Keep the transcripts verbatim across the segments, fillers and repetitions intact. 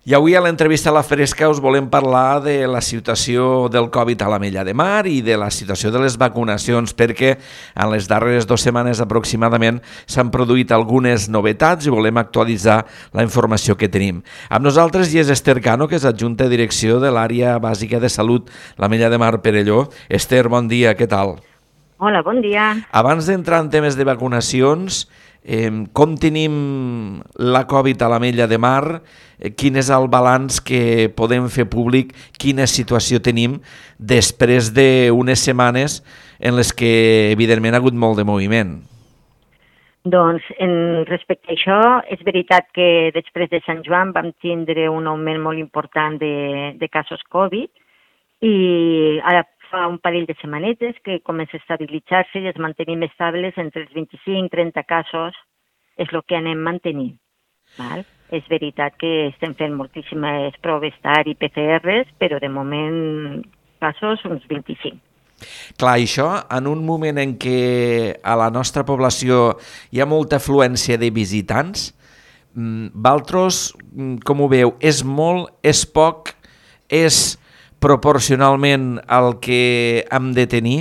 I avui a l'entrevista a la Fresca us volem parlar de la situació del Covid a l'Ametlla de Mar i de la situació de les vacunacions, perquè en les darreres dues setmanes aproximadament s'han produït algunes novetats i volem actualitzar la informació que tenim. Amb nosaltres hi és Esther Cano, que és adjunta de direcció de l'àrea bàsica de salut l'Ametlla de Mar Perelló. Esther, bon dia, què tal? Hola, bon dia. Abans d'entrar en temes de vacunacions, Eh, com tenim la Covid a l'Ametlla de Mar, eh, quin és el balanç que podem fer públic, quina situació tenim després d'unes setmanes en les que evidentment ha hagut molt de moviment? Doncs en respecte a això, és veritat que després de Sant Joan vam tindre un augment molt important de, de casos Covid i ara fa un parell de setmanetes que comença a estabilitzar-se i es mantenim estables entre els vint-i-cinc i trenta casos, és el que anem mantenint. Val? És veritat que estem fent moltíssimes proves T A R i P C Rs, però de moment casos uns vint-i-cinc. Clar, això en un moment en què a la nostra població hi ha molta afluència de visitants, vosaltres com ho veu? És molt, és poc, és proporcionalment al que hem de tenir?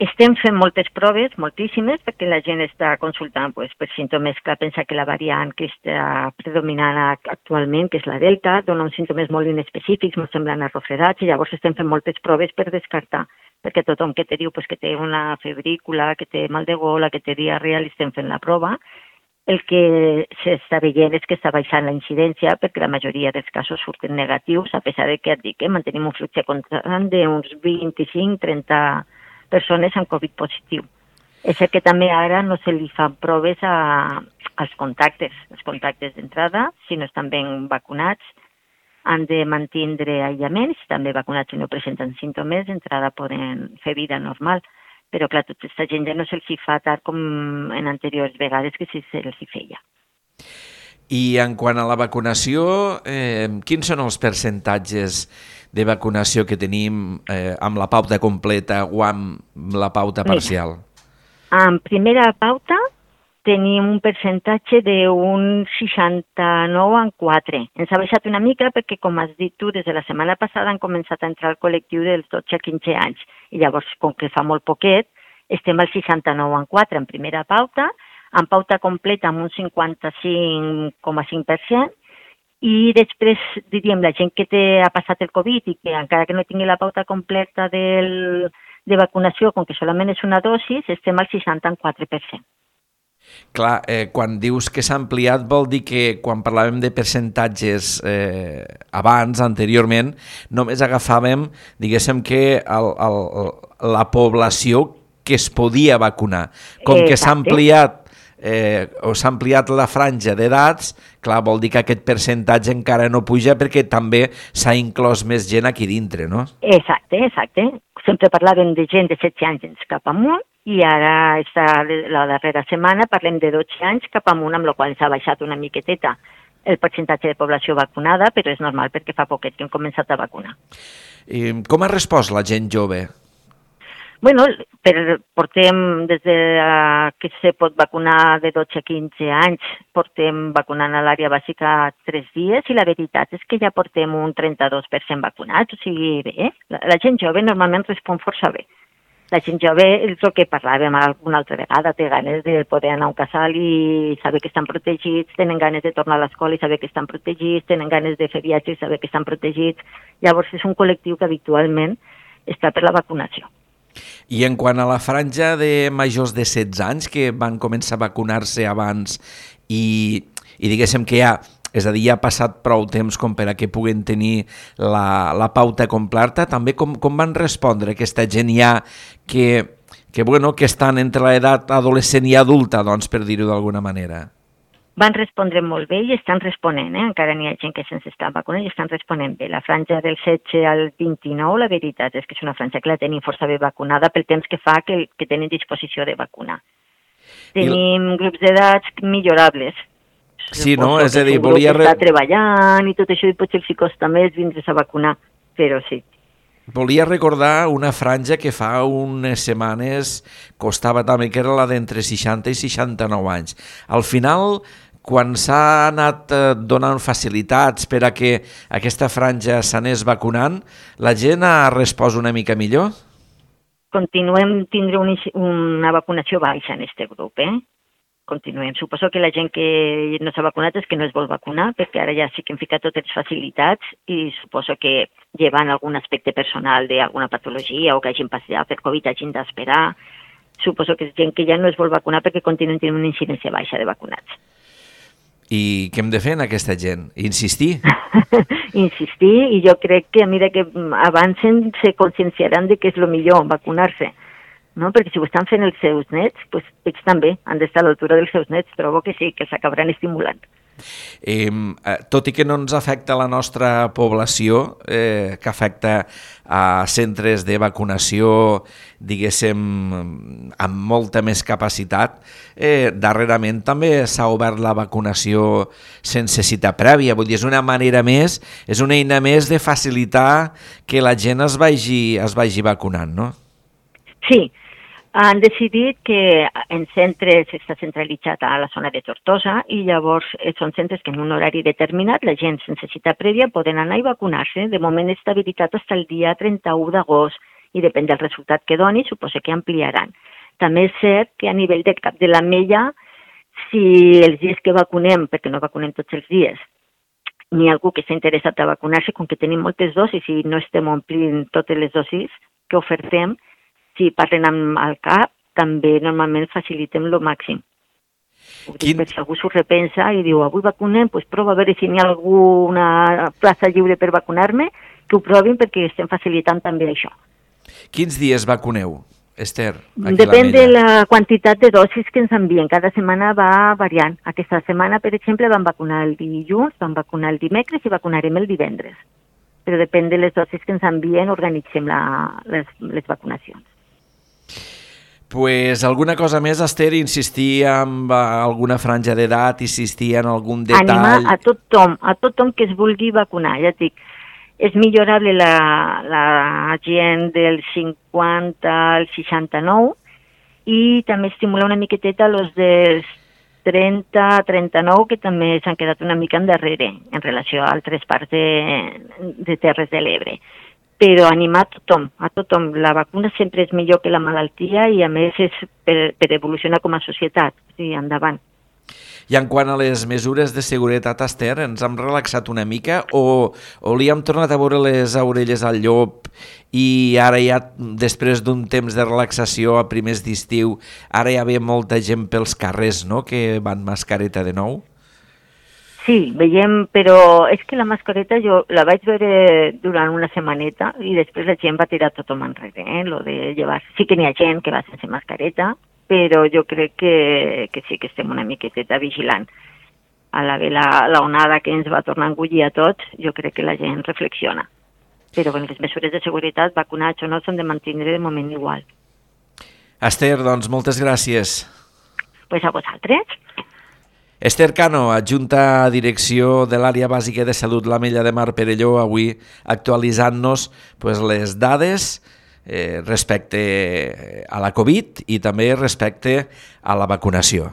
Estem fent moltes proves, moltíssimes, perquè la gent està consultant pues, per símptomes que pensa que la variant que està predominant actualment, que és la Delta, dona uns símptomes molt inespecífics, molt semblant a refredats, i llavors estem fent moltes proves per descartar, perquè tothom que te diu pues, que té una febrícula, que té mal de gola, que té diarrea, li estem fent la prova. El que s'està veient és que està baixant la incidència perquè la majoria dels casos surten negatius, a pesar de que et dic que mantenim un flux constant d'uns vint-i-cinc a trenta persones amb Covid positiu. És cert que també ara no se li fan proves a, als contactes. Els contactes d'entrada, si no estan ben vacunats, han de mantindre aïllament, si estan ben vacunats i no presenten símptomes, d'entrada poden fer vida normal. Però, clar, tota aquesta gent ja no se'ls fa tard com en anteriors vegades que sí se'ls feia. I en quant a la vacunació, eh, quins són els percentatges de vacunació que tenim eh, amb la pauta completa o amb la pauta parcial? Mira, en primera pauta tenim un percentatge d'un seixanta-nou en quatre. Ens ha baixat una mica perquè, com has dit tu, des de la setmana passada han començat a entrar al col·lectiu dels dotze a quinze anys. I llavors, com que fa molt poquet, estem al seixanta-nou en quatre en primera pauta, en pauta completa amb un cinquanta-cinc coma cinc per cent, i després, diríem, la gent que té, ha passat el Covid i que encara que no tingui la pauta completa del, de vacunació, com que solament és una dosis, estem al seixanta-quatre per cent. Clar, eh, quan dius que s'ha ampliat vol dir que quan parlàvem de percentatges eh, abans, anteriorment, només agafàvem, diguéssim, que el, el, la població que es podia vacunar. Com Exacte. que s'ha ampliat eh, o s'ha ampliat la franja d'edats, clar, vol dir que aquest percentatge encara no puja perquè també s'ha inclòs més gent aquí dintre, no? Exacte, exacte. Sempre parlàvem de gent de setze anys cap amunt, i ara, esta, la darrera setmana, parlem de dotze anys cap amunt, amb la qual s'ha baixat una miqueteta el percentatge de població vacunada, però és normal perquè fa poquet que hem començat a vacunar. I com ha respost la gent jove? Bueno, per, portem, des de uh, que se pot vacunar de dotze a quinze anys, portem vacunant a l'àrea bàsica tres dies i la veritat és que ja portem un trenta-dos per cent vacunats, o sigui, bé, la, la gent jove normalment respon força bé. La gent jove, és el que parlàvem alguna altra vegada, té ganes de poder anar a un casal i saber que estan protegits, tenen ganes de tornar a l'escola i saber que estan protegits, tenen ganes de fer viatges i saber que estan protegits. Llavors és un col·lectiu que habitualment està per la vacunació. I en quant a la franja de majors de setze anys que van començar a vacunar-se abans i, i diguéssim que ja, és a dir, ja ha passat prou temps com per a que puguen tenir la, la pauta completa, també com, com van respondre aquesta gent ja que, que, bueno, que estan entre l'edat adolescent i adulta, doncs, per dir-ho d'alguna manera? Van respondre molt bé i estan responent, eh? Encara n'hi ha gent que se'ns està vacunant i estan responent bé. La franja del setze al vint-i-nou, la veritat és que és una franja que la tenim força bé vacunada pel temps que fa que, que tenen disposició de vacunar. Tenim I... grups d'edats millorables. Sí, no? És a dir, volia... Està treballant i tot això i potser els hi costa més vindre's a vacunar, però sí. Volia recordar una franja que fa unes setmanes costava també, que era la d'entre seixanta i seixanta-nou anys. Al final, quan s'ha anat eh, donant facilitats per a que aquesta franja s'anés vacunant, la gent ha respost una mica millor? Continuem tindre un, una vacunació baixa en aquest grup, eh? Continuem. Suposo que la gent que no s'ha vacunat és que no es vol vacunar, perquè ara ja sí que hem ficat totes les facilitats i suposo que llevant algun aspecte personal d'alguna patologia o que hagin passat per Covid hagin d'esperar. Suposo que és gent que ja no es vol vacunar perquè continuen tenint una incidència baixa de vacunats. I què hem de fer en aquesta gent? Insistir? Insistir, i jo crec que a mesura que avancen se conscienciaran de que és el millor vacunar-se. No? Perquè si ho estan fent els seus nets, doncs ells també han d'estar a l'altura dels seus nets, trobo que sí, que s'acabaran estimulant. Eh, tot i que no ens afecta la nostra població, eh, que afecta a centres de vacunació, diguéssim, amb molta més capacitat, eh, darrerament també s'ha obert la vacunació sense cita prèvia. Vull dir, és una manera més, és una eina més de facilitar que la gent es vagi, es vagi vacunant, no? Sí, han decidit que en centres està centralitzat a la zona de Tortosa i llavors són centres que en un horari determinat la gent sense cita prèvia poden anar i vacunar-se. De moment està habilitat fins el dia trenta-u d'agost i depèn del resultat que doni, suposo que ampliaran. També és cert que a nivell de cap de l'Ametlla, si els dies que vacunem, perquè no vacunem tots els dies, n'hi ha algú que està interessat a vacunar-se, com que tenim moltes dosis i no estem omplint totes les dosis que ofertem, si parlen amb el cap, també normalment facilitem el màxim. Quin... Per si algú s'ho repensa i diu, avui vacunem, doncs prova a veure si n'hi ha alguna plaça lliure per vacunar-me, que ho provin perquè estem facilitant també això. Quins dies vacuneu, Esther? Depèn de la quantitat de dosis que ens envien. Cada setmana va variant. Aquesta setmana, per exemple, vam vacunar el dilluns, vam vacunar el dimecres i vacunarem el divendres. Però depèn de les dosis que ens envien, organitzem la, les, les vacunacions. Pues alguna cosa més, Esther, insistir en alguna franja d'edat, insistir en algun detall... Animar a tothom, a tothom que es vulgui vacunar, ja et dic. És millorable la, la gent del cinquanta al seixanta-nou i també estimular una miqueteta els dels trenta a trenta-nou, que també s'han quedat una mica endarrere en relació a altres parts de, de Terres de l'Ebre. Però animar a tothom, a tothom. La vacuna sempre és millor que la malaltia i a més és per, per evolucionar com a societat. Sí, endavant. I en quant a les mesures de seguretat, Esther, ens hem relaxat una mica o, o li hem tornat a veure les orelles al llop i ara ja, després d'un temps de relaxació a primers d'estiu, ara ja ve molta gent pels carrers, no?, que van mascareta de nou? Sí, veiem, però és que la mascareta jo la vaig veure durant una setmaneta i després la gent va tirar tothom enrere, eh? Lo de llevar. Sí que n'hi ha gent que va sense mascareta, però jo crec que, que sí que estem una miqueteta vigilant. A la ve la, la onada que ens va tornar a engullir a tots, jo crec que la gent reflexiona. Però bueno, les mesures de seguretat, vacunats o no, s'han de mantenir de moment igual. Esther, doncs moltes gràcies. Pues a vosaltres. Esther Cano, adjunta a direcció de l'àrea bàsica de salut l'Ametlla de Mar Perelló, avui actualitzant-nos pues, les dades eh, respecte a la Covid i també respecte a la vacunació.